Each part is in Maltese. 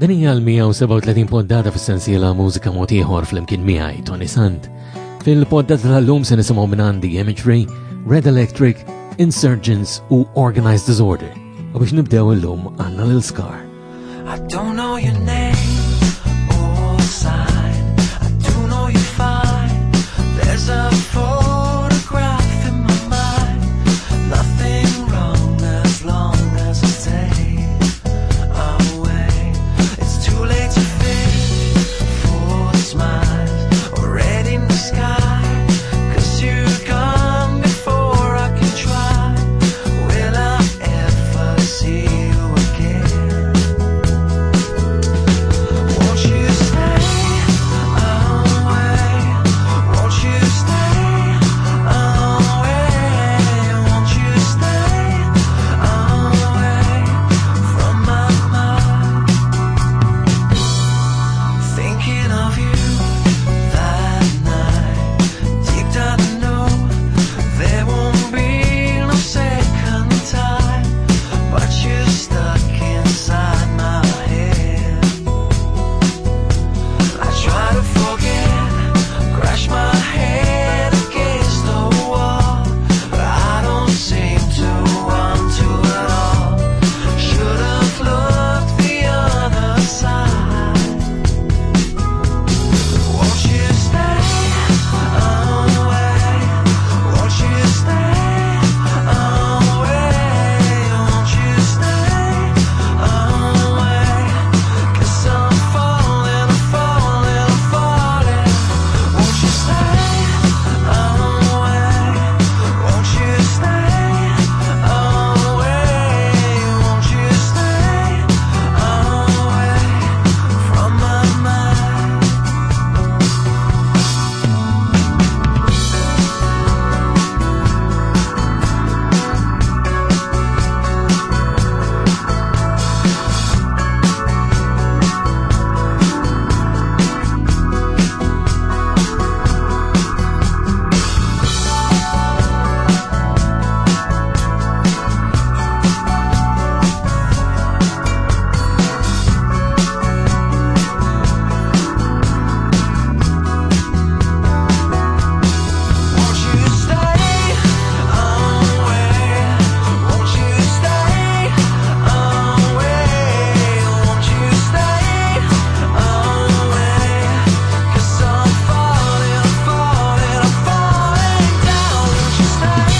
Din hija l-137 poddata fis-sensiela Mużika Mod Ieħor flimkien miegħi Tony Sant. Fil-poddata tal-lum se nisimgħu minn għandi Imagery, Red Electric, Insurgents u Organized Disorder. U biex nibdew illum għandna lil Scar. I don't know your name or sign. I do know you fine. There's a photograph in my mind. Nothing wrong as long as I stay away. It's too late to fish for smiles already in the sky. 'Cause you're gone before I can try. Will I ever see you again? Won't you stay away? Won't you stay away? Won't you stay away from my mind? Thinking of you that night. Deep down I know there won't be no second time, but you're stuck inside my head. I try to forget, crash my head against the wall, but I don't seem to want to at all. Should have looked the other side. Won't you stay away? Won't you stay away? Won't you stay away? 'Cause I'm falling, I'm falling, I'm falling. Won't you stay away? Won't you stay away? Won't you stay away from my mind? Won't you stay away? Won't you stay away? Won't you stay away? 'Cause I'm falling, falling, I'm falling down. Won't you stay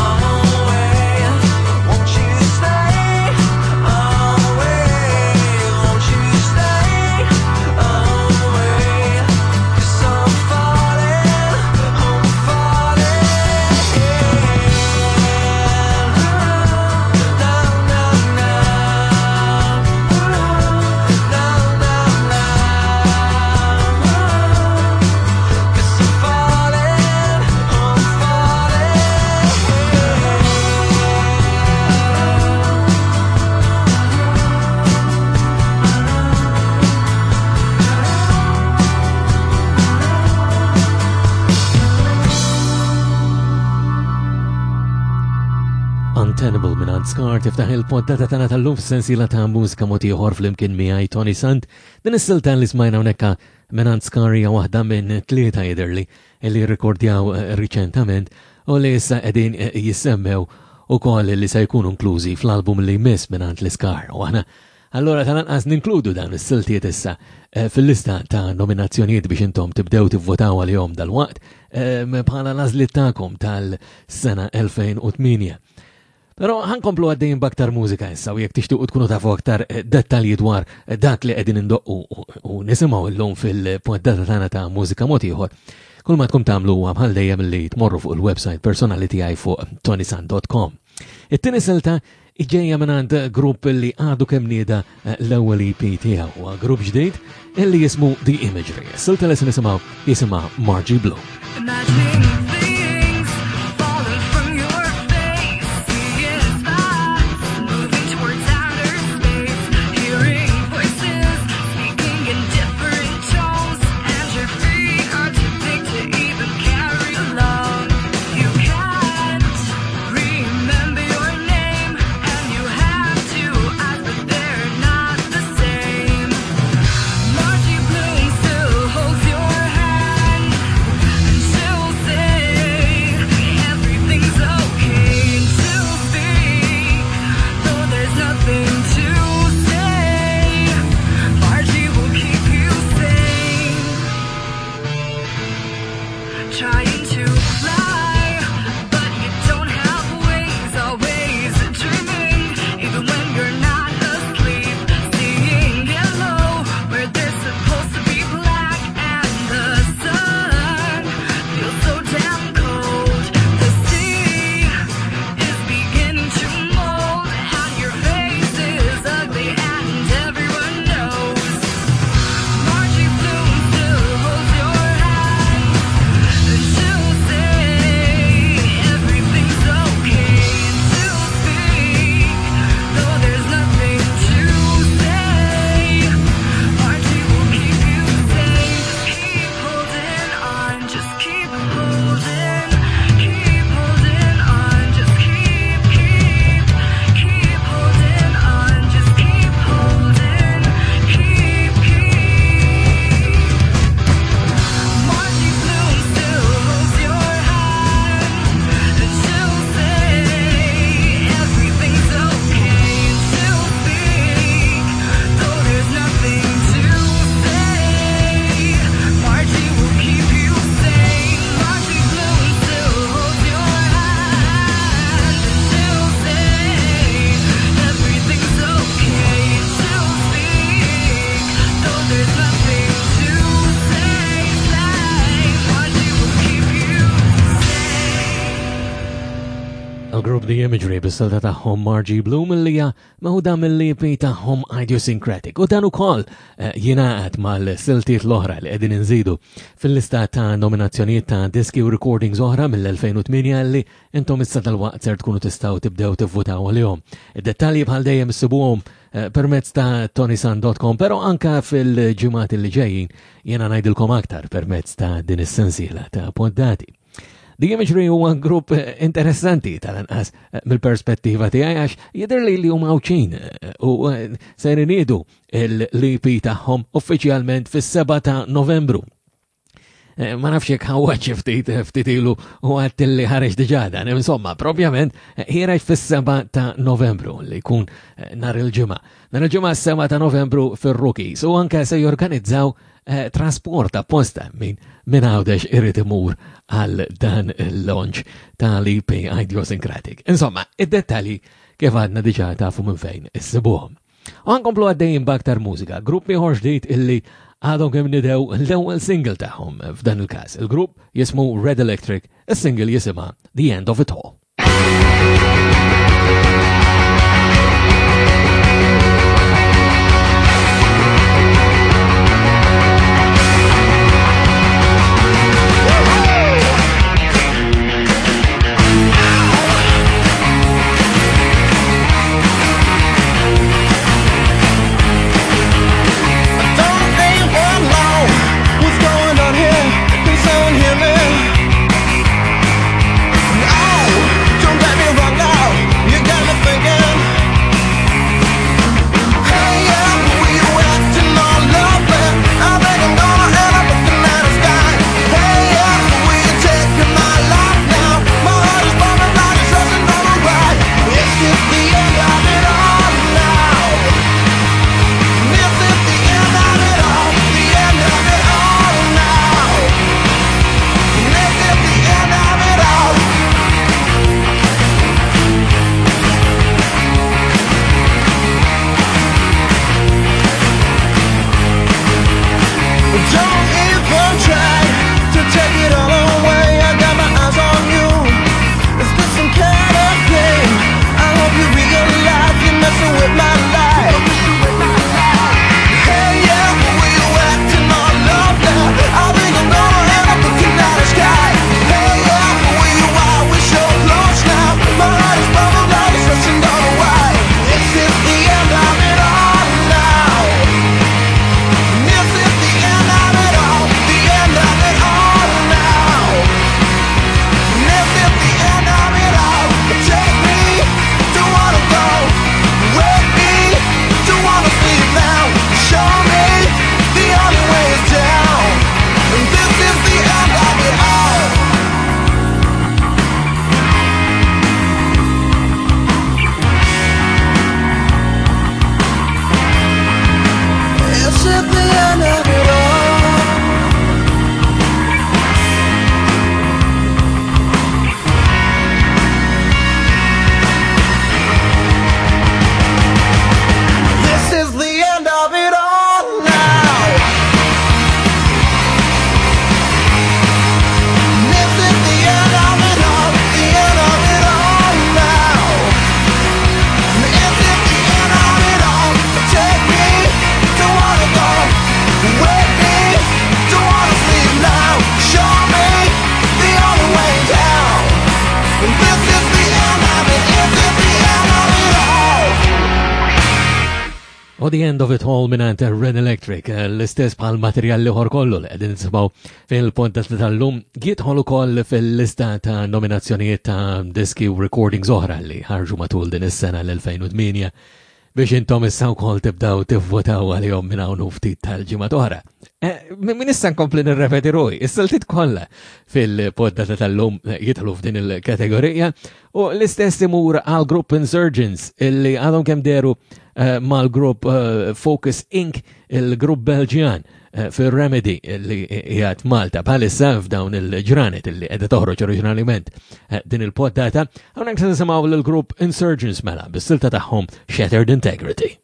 away? Won't you stay away? Won't you stay away? 'Cause I'm falling, I'm falling. Na na na, na na na. 'Cause I'm falling, I'm Untenable minn Ant Scar tiftaħ il-poddata tagħna tal-lum f'sensiela ta' mużika mod ieħor flimkien miegħi Tony Sant. Din is-silta li smajna hawnhekk minn Ant Scar hija waħda minn tlieta jidherli li rrekordjaw eh, riċentament u li issa qegħdin eh, jissemmew ukoll li se jkunu inklużi fl-album li jmiss minn Ant l-Iskar. U aħna allura tal-anqas ninkludu dawn is-siltiet issa eh, fil-lista ta' nominazzjonijiet biex intom tibdew tivvotaw għalihom dal-waqt eh, bħala l-għażliet tagħkom tal-sena 2008. Pero ħankomplu għaddejn baktar mużika issa u jekk tixtiequ tkunu tafu aktar eh, dettalji dwar eh, dak li qegħdin indoqqu u nisimgħu llum fil-poddata tagħna ta' mużika mod ieħor. Kull ma tkun tagħmlu huwa bħal dejjem li tmorru fuq il-website personali tiegħi fuq tonisan.com. It-tieni silta ġejja minn grupp li għadu kemm nieda eh, l-ewwel EP tiegħu huwa grupp ġdid illi jismu The Imagery. Silta li se nisimgħu jisimha Margie Blue. Imagining things falling from your face, seeing spots moving towards outer space, hearing voices speaking in different tones, and your feet are too big to even carry along. You can't remember your name, and you have two eyes, but they're not the same. The Imagery bis-silta tagħhom Margie Bloom li hija meħuda mill-EP tagħhom Idiosyncratic u dan ukoll eh, jingħaqad mal-siltiet l-oħra li qegħdin inżidu fil-lista ta' nominazzjonijiet ta' diski u recordings oħra mill-2008 li intom issa dal-waqt ser tkunu tistgħu tibdew tivvutaw għalihom. Id-dettalji bħal dejjem issibuhom eh, permezz ta' tonisan.com, però anka fil-ġimgħat li ġejjin jiena ngħidilkom aktar permezz ta' din is-sensiela ta' poddati. The Imagery huwa grupp eh, interessanti tal-anqas eh, mill-perspettiva tiegħi għax jidher li li huma Għawdxin eh, u se iniedu l-EP tagħhom uffiċjalment fis-7 ta' Novembru. Ma nafx jekk ħawwa ftit ftit ilu u għadt li ħareġ diġà dan. Insomma, propjament ħireġ fis-7 ta' Novembru li jkun nhar il-ġimgħa. Nhar il-ġimgħa s-7 ta' Novembru fir-Rookies u anke se jorganizzaw Eh, trasport apposta minn min għawdex irrid imur għal dan il-launch tal-EP Idiosyncratic. Insomma, id-dettalji kif għadna diġa tafu minn fejn issibuhom. U għankomplu għaddejjin b'aktar mużika, grupp ieħor ġdid illi għadhom kemm nidew l-ewwel single tagħhom f'dan il-każ. Il-grupp jismu Red Electric, is-single jisimha The End of It All. U The End of It All minant Red Electric, eh, l-istess bħal materjal liħor kollu li qegħdin nisimgħu fil-podcast tal-lum, jidħol ukoll fil-lista ta' nominazzjonijiet ta' diski u recordings oħra li ħarġu matul din is-sena l-2008 biex intom issa wkoll tibdaw tivvotaw għalihom minn hawn ftit tal-ġimgħa oħra. Eh, min issa nkompli nirrepeti ruħi, is-siltiet kollha fil-poddata tal-lum jidħlu f'din il-kategorija u l-istess imur għal grupp Insurgents illi għadhom kemm deru eh, mal-grupp eh, Focus Inc., il-grupp Belġjan eh, fil-Remedy li jgħat Malta bħalissa f'dawn il-ġranet li qiegħda toħroġ oriġinalment din il-poddata, hawnhekk se nisimgħu lill-grupp Insurgents mela bis-silta tagħhom Shattered Integrity.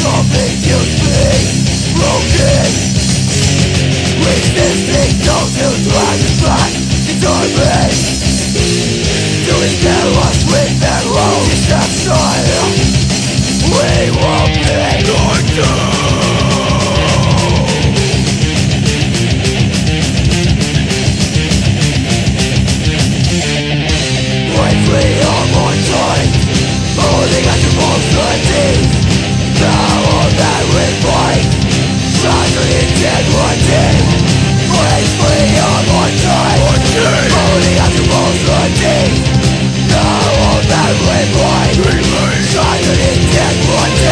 Something to be broken. Resisting those who try to fight determined to instill us with their own deception. We won't be going. We are more tight, holding on to falsities. The all that we fight, shattered integrity. Break free of our tight, holding on to falsities. The all that we fight, shattered integrity.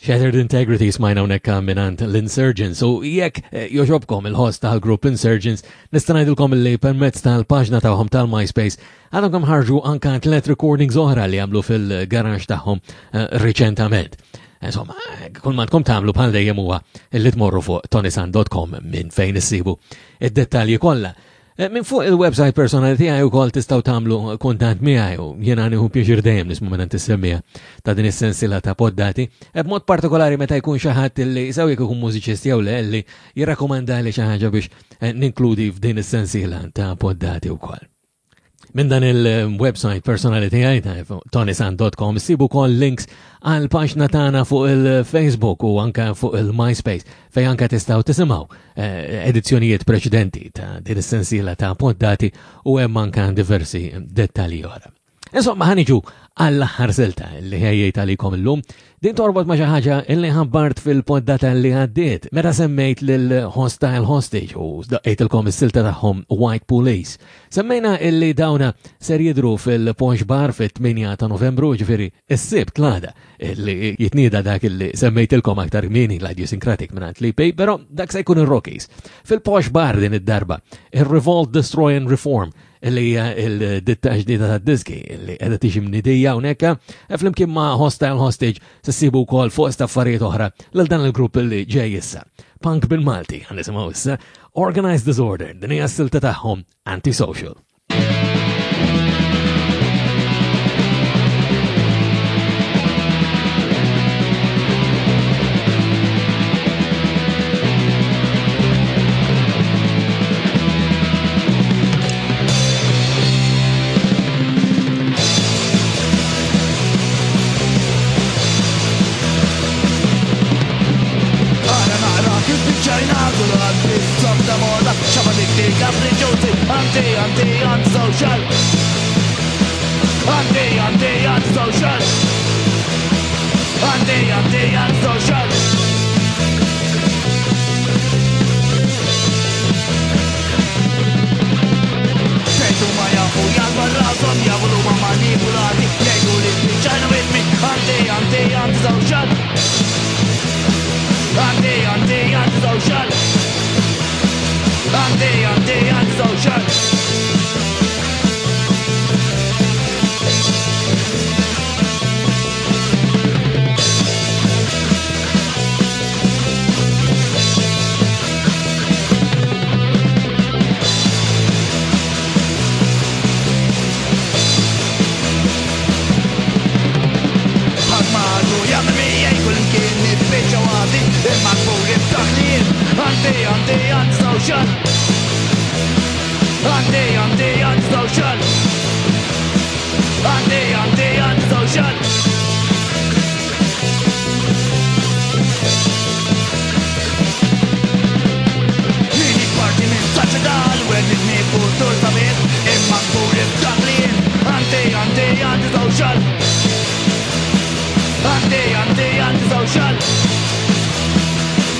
Shattered Integrity smajna hawnhekk mingħand l-Insurgents u jekk jogħġobkom il-ħoss tal-grupp Insurgents nista' ngħidilkom li permezz tal-paġna tagħhom tal-MySpace għadhom kemm ħarġu anka tliet recordings oħra li għamlu fil-garax tagħhom riċentament. Insomma, kull ma tkom tagħmlu bħal dejjem huwa li tmorru fuq tonisan.com minn fejn issibu id-dettalji kollha. Minn fuq il-website personali tiegħi wkoll tistgħu tagħmlu kuntatt miegħi u jiena nieħu pjaċir dejjem nisma' minn is-semmija ta' din is-sensiela ta' poddati, b'mod partikolari meta jkun xi ħadd li sew jekk ikun mużiċist jew le li jirrakkomandali xi ħaġa biex ninkludi f'din is-sensiela ta' poddati wkoll. Minn dan il-website personali tiegħi ta' tonisan.com sibu wkoll links għal paġna tagħna fuq il-Facebook u anka fuq il-MySpace fejn anka tistgħu tisimgħu edizzjonijiet preċedenti ta' din is-sensiela ta' poddati u hemm anka diversi dettalji oħra. Insomma, ħaniġu għall-aħħar silta li ħejjejt għalikom illum. Din torbot ma' xi ħaġa li ħabbart fil-poddata li għaddiet meta semmejt lil Hostile Hostage u daqqejtilkom is-silta tagħhom White Police. Semmejna illi dawna ser jidru fil-Posh Bar fit-8 ta' Novembru, ġifieri is-Sibt l-għada li jitnieda dak illi semmejtilkom aktar kmieni l-Idiosyncratic mingħand l-EP, però dak se jkun ir-Rockies. Fil-Posh Bar din id-darba, ir-Revolt, Destroy and Reform li hija l-ditta ġdida ta' diski li qiegħda tiġi mnidija hawnhekk, flimkien ma' Hostile Hostage se ssibu wkoll fuq affarijiet oħra lil dan il-grupp li ġej issa. Punk bil-Malti, ħa nisimgħu issa Organized Disorder, din hija s-silta tagħhom Antisocial. Anti, anti, anti, anti, antisocial. Anti, anti, antisocial. Jgħidu ma jafu jgħalba rashom, jafu li huma manipulati, jgħidu li spiċċajna vittmi. Anti, anti, antisocial. Anti, anti, antisocial. Anti, anti, antisocial. Antisocial.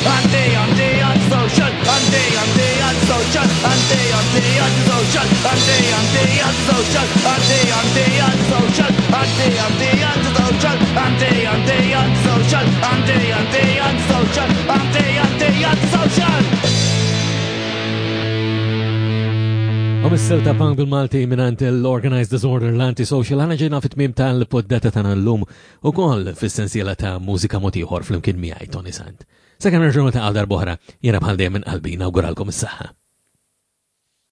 Anti, anti, antisocial. Anti, anti, antisocial. Anti, anti, antisocial. Anti, anti, antisocial. Anti, anti, antisocial. Anti, anti, antisocial. Anti, anti, antisocial. Anti, anti, antisocial. Anti, anti, antisocial. U mis-silta punk bil-Malti minant l-Organized Disorder l-Antisocial għana ġejna fit-tmim tal-poddata tagħna llum ukoll fis-sensiela ta' mużika mod ieħor flimkien miegħi Tony Sant. Sakemm nerġgħu niltaqgħu darb'oħra, jiena bħal dejjem minn qalbi nawguralkom is-saħħa.